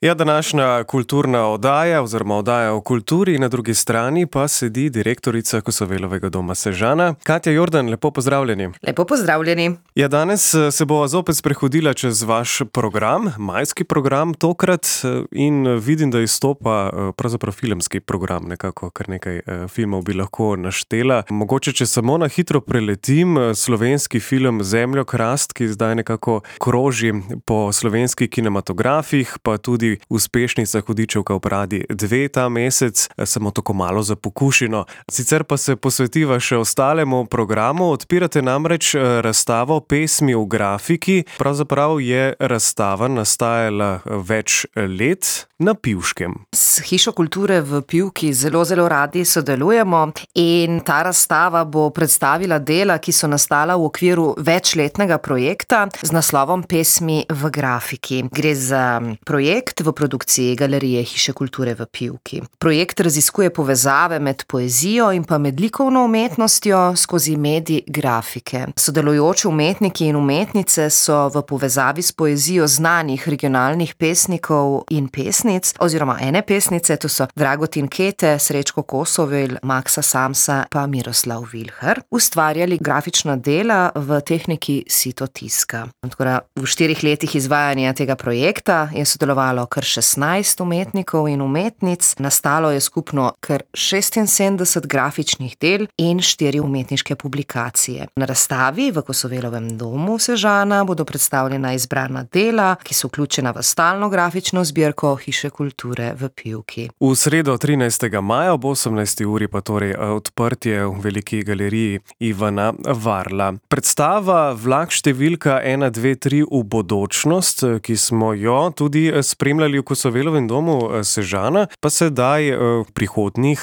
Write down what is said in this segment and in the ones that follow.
Ja, današnja kulturna oddaja oziroma oddaja o kulturi, na drugi strani pa sedi direktorica Kosovelovega doma Sežana. Katja Jordan, lepo pozdravljeni. Lepo pozdravljeni. Ja, danes se bova zopet sprehodila čez vaš program, majski program tokrat, in vidim, da izstopa pravzaprav filmski program, nekako kar nekaj filmov bi lahko naštela. Mogoče, če samo na hitro preletim, slovenski film Zemljokrast, ki zdaj nekako kroži po slovenskih kinematografih, pa tudi uspešnica Hudičevka v Pradi 2 ta mesec, samo tako malo za pokušino. Sicer pa se posvetiva še ostalemu programu, odpirate namreč razstavo Pesmi v grafiki. Pravzaprav je razstava nastajala več let na Pivškem. S Hišo kulture v Pivki zelo radi sodelujemo in ta razstava bo predstavila dela, ki so nastala v okviru večletnega projekta z naslovom Pesmi v grafiki. Gre za projekt v produkciji Galerije Hiše kulture v Pivki. Projekt raziskuje povezave med poezijo in pa med likovno umetnostjo skozi medij grafike. Sodelujoči umetniki in umetnice so v povezavi s poezijo znanih regionalnih pesnikov in pesnic, oziroma ene pesnice, to so Dragutin Kete, Srečko Kosovel, Maksa Samsa pa Miroslav Vilhar, ustvarjali grafična dela v tehniki sitotiska. Tako da v 4 letih izvajanja tega projekta je sodelovalo kar 16 umetnikov in umetnic, nastalo je skupno kar 76 grafičnih del in 4 umetniške publikacije. Na razstavi v Kosovelovem domu Sežana bodo predstavljena izbrana dela, ki so vključena v stalno grafično zbirko Hiše kulture v Pivki. V sredo 13. maja ob 18. uri pa torej odprtje v veliki galeriji Ivana Varla. Predstava Vlak številka 1, 2, 3 v bodočnost, ki smo jo tudi spremljali v Kosovelovem domu Sežana, pa sedaj v prihodnjih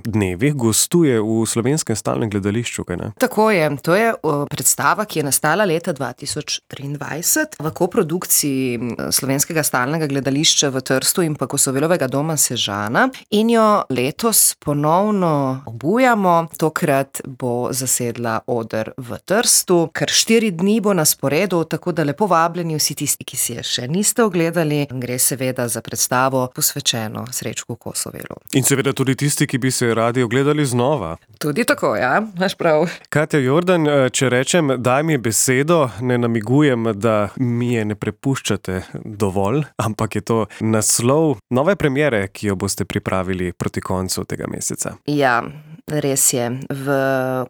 dnevih gostuje v Slovenskem stalnem gledališču, kaj ne? Tako je, to je predstava, ki je nastala leta 2023 v koprodukciji Slovenskega stalnega gledališča v Trstu in pa Kosovelovega doma Sežana in jo letos ponovno obujamo. Tokrat bo zasedla oder v Trstu, kar 4 dni bo na sporedu, tako da lepo vabljeni vsi tisti, ki si je še niste ogledali. Gre seveda za predstavo posvečeno Srečku Kosovelu. In seveda tudi tisti, ki bi se radi ogledali znova. Tudi tako, ja, imaš prav. Katja Jordan, če rečem, daj mi besedo, ne namigujem, da mi je ne prepuščate dovolj, ampak je to naslov nove premiere, ki jo boste pripravili proti koncu tega meseca. Ja, res je. V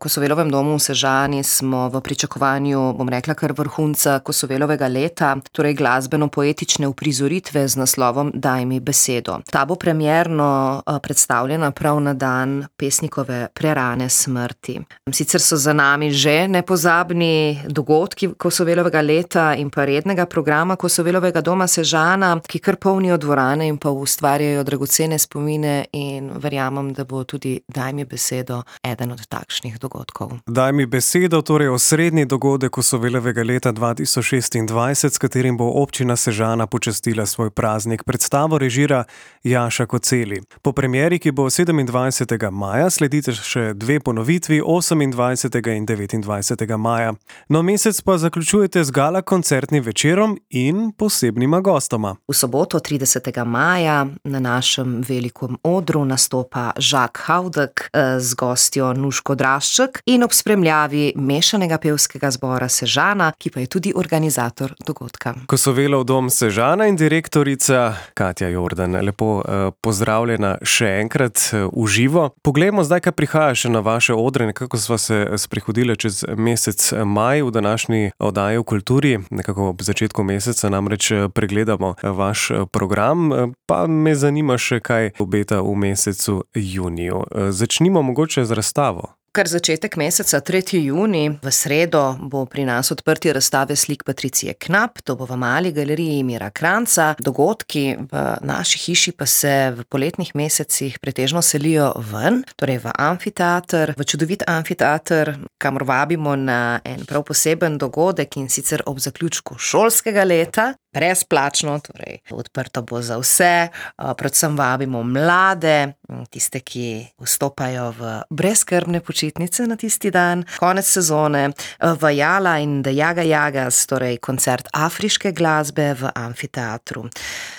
Kosovelovem domu v Sežani smo v pričakovanju, bom rekla, kar vrhunca Kosovelovega leta, torej glasbeno-poetične uprizoritve z naslovom Daj mi besedo. Ta bo premierno predstavljena prav na dan pesnikove prerane smrti. Sicer so za nami že nepozabni dogodki Kosovelovega leta in pa rednega programa Kosovelovega doma Sežana, ki kar polnijo dvorane in pa ustvarjajo dragocene spomine, in verjamem, da bo tudi Daj mi besedo eden od takšnih dogodkov. Daj mi besedo, torej osrednji dogodek Kosovelovega leta 2026, s katerim bo občina Sežana počastila svoj praznik. Predstavo režira Jaša Koceli. Po premieri, ki bo 27. maja, sledite še 2 ponovitvi, 28. in 29. maja. No, mesec pa zaključujete z gala koncertnim večerom in posebnima gostoma. V soboto 30. maja na našem velikem odru nastopa Žak Haudek z gostjo Nuško Drašček in ob spremljavi mešanega pevskega zbora Sežana, ki pa je tudi organizator dogodka. Kosovelov dom Sežana in direktorica Katja Jordan. Lepo pozdravljena še enkrat v živo. Poglejmo zdaj, kaj prihaja še na vaše odre, nekako sva se sprehodila čez mesec maj v današnji oddaji o kulturi. Nekako ob začetku meseca namreč pregledamo vaš program, pa me zanima še, kaj obeta v mesecu juniju. Začnimo mogoče z razstavo. Kar začetek meseca, 3. junij, v sredo bo pri nas odprtje razstave slik Patricije Knap, to bo v Mali galeriji Mira Kranjca. Dogodki v naši hiši pa se v poletnih mesecih pretežno selijo ven, torej v amfiteater, v čudovit amfiteater, kamor vabimo na en prav poseben dogodek, in sicer ob zaključku šolskega leta. Brezplačno, torej odprto bo za vse, predvsem vabimo mlade, tiste, ki vstopajo v brezskrbne počitnice počitnice na tisti dan. Konec sezone Vajala in The Jaga Jagas, torej koncert afriške glasbe v amfiteatru.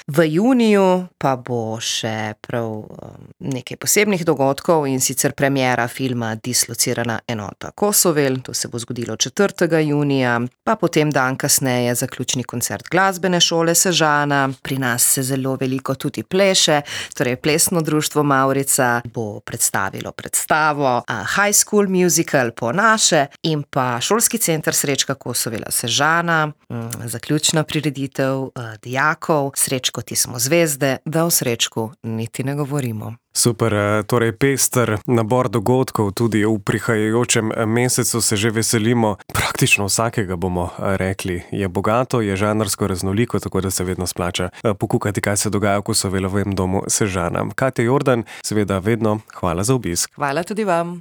V juniju pa bo še prav nekaj posebnih dogodkov, in sicer premiera filma Dislocirana enota Kosovel, to se bo zgodilo 4. junija, pa potem dan kasneje zaključni koncert glasbene šole Sežana. Pri nas se zelo veliko tudi pleše, torej plesno društvo Mavrica bo predstavilo predstavo High School Musical po naše in pa šolski center Srečka Kosovela Sežana, zaključna prireditev dijakov Srečko, ti smo zvezde, da o Srečku niti ne govorimo. Super, torej pester nabor dogodkov, tudi v prihajajočem mesecu se že veselimo. Praktično vsakega bomo rekli. Je bogato, je žanrsko raznoliko, tako da se vedno splača pokukati, kaj se dogaja v Kosovelovem domu Sežana. Katja Jordan, seveda vedno hvala za obisk. Hvala tudi vam.